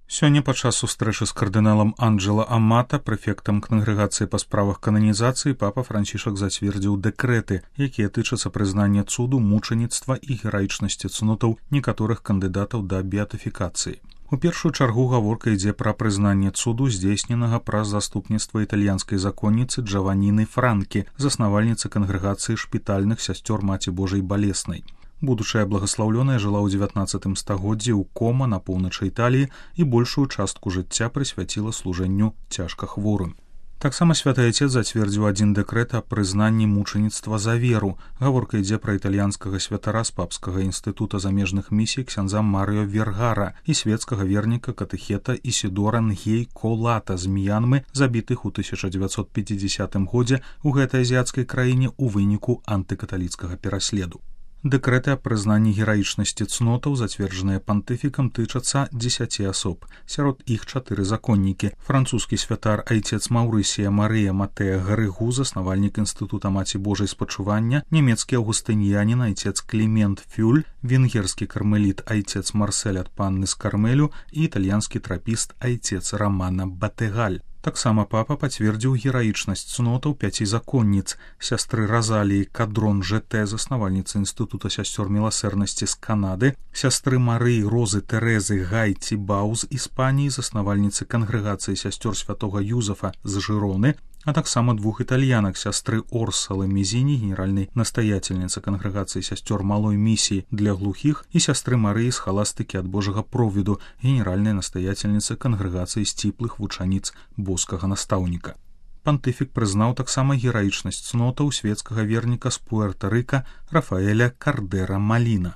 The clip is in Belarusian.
Сёння падчас сустрэчы з кардыналам Анджела Амата, прэфектам кангрэгацыі па справах кананізацыі, папа Францішак зацвердзіў дэкрэты, якія тычацца прызнання цуду, мучаніцтва і гераічнасці цнотаў некаторых кандыдатаў да беатыфікацыі. У першую чаргу гаворка ідзе пра прызнанне цуду, здзейсненага праз заступніцтва італьянскай законніцы Джаваніны Франкі, заснавальніцы кангрэгацыі шпітальных сясцёр Маці Божай Балеснай. Будучая благаслаўлёная жыла ў 19 стагоддзі ў Кома на поўначы Італіі і большую частку жыцця прысвяціла служэнню цяжка хворым. Таксама святы айцец зацвердзіў адзін дэкрэт аб прызнанні мучаніцтва за веру. Гаворка ідзе пра італьянскага святара з папскага інстытута замежных місій ксяндза Марыо Вергара і свецкага верніка катэхета Ісідора Нгей Колата з Мьянмы, забітых у 1950 годзе ў гэтай азіяцкай краіне ў выніку антыкаталіцкага пераследу. Дэкрэты аб прызнанні гераічнасці цнотаў, зацверджаныя пантыфікам, тычацца 10 асоб. Сярод іх 4 законнікі. Французскі святар айцец Маўрысія Марыя Матэа Гарыгу, заснавальнік інстытута Маці Божай спачування, нямецкі аўгустыньянін айцец Клімент Фюль, венгерскі кармеліт айцец Марсель ад Панны з Кармелю і італьянскі трапіст айцец Рамана Батэгаль. Таксама папа пацвердзіў гераічнасць цнотаў 5 законніц: сястры Разаліі Кадрон ЖТ, заснавальніцы інстытута сясцёр міласэрнасці з Канады, сястры Марыі Розы Тэрэзы Гайці Бау з Іспаніі, заснавальніцы кангрэгацыі сясцёр святога Юзафа з Жыроны, а таксама 2 італьянак: сястры Орсалы Мезіні, генеральнай настаяцельніцы кангрэгацыі сясцёр малой місіі для глухіх, і сястры Марыі з Халастыкі ад Божага провіду, генеральнай настаяцельніцы кангрэгацыі сціплых вучаніц боскага настаўніка. Пантыфік прызнаў таксама гераічнасць цнотаў светскага верніка з Пуэрта-Рыка Рафаэля Кардера Маліна.